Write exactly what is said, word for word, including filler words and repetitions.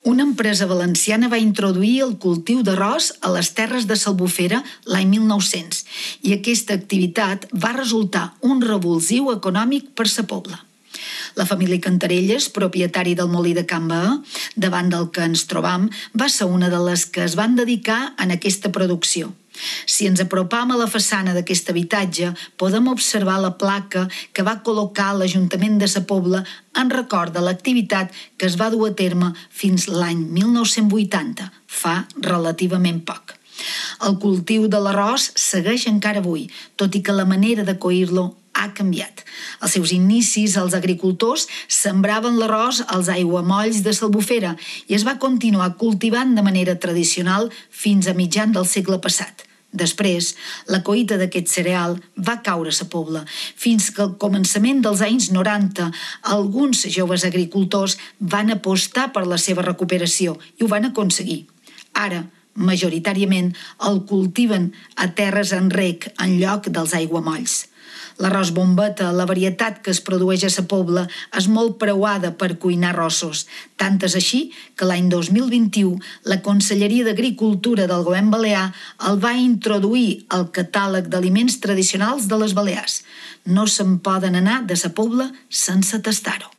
Una empresa valenciana va introduir el cultiu d'arròs a les terres de s'Albufera l'any mil nou-cents i aquesta activitat va resultar un revulsiu econòmic per sa pobla. La família Cantarelles, propietari del molí de Can Baé, davant del que ens trobam, va ser una de les que es van dedicar en aquesta producció. Si ens apropam a la façana d'aquest habitatge, podem observar la placa que va col·locar l'Ajuntament de sa Pobla en record de l'activitat que es va dur a terme fins l'any mil nou-cents vuitanta, fa relativament poc. El cultiu de l'arròs segueix encara avui, tot i que la manera de coir-lo ha canviat. Als seus inicis, els agricultors sembraven l'arròs als aiguamolls de s'Albufera i es va continuar cultivant de manera tradicional fins a mitjan del segle passat. Després, la collita d'aquest cereal va caure a sa Pobla, fins que al començament dels anys noranta alguns joves agricultors van apostar per la seva recuperació i ho van aconseguir. Ara, majoritàriament, el cultiven a terres en rec en lloc dels aiguamolls. L'arròs bombeta, la varietat que es produeix a sa Pobla, és molt preuada per cuinar arrossos. Tant és així que l'any dos mil vint-i-u la Conselleria d'Agricultura del Govern Balear el va introduir al catàleg d'aliments tradicionals de les Balears. No se'n poden anar de sa Pobla sense tastar-ho.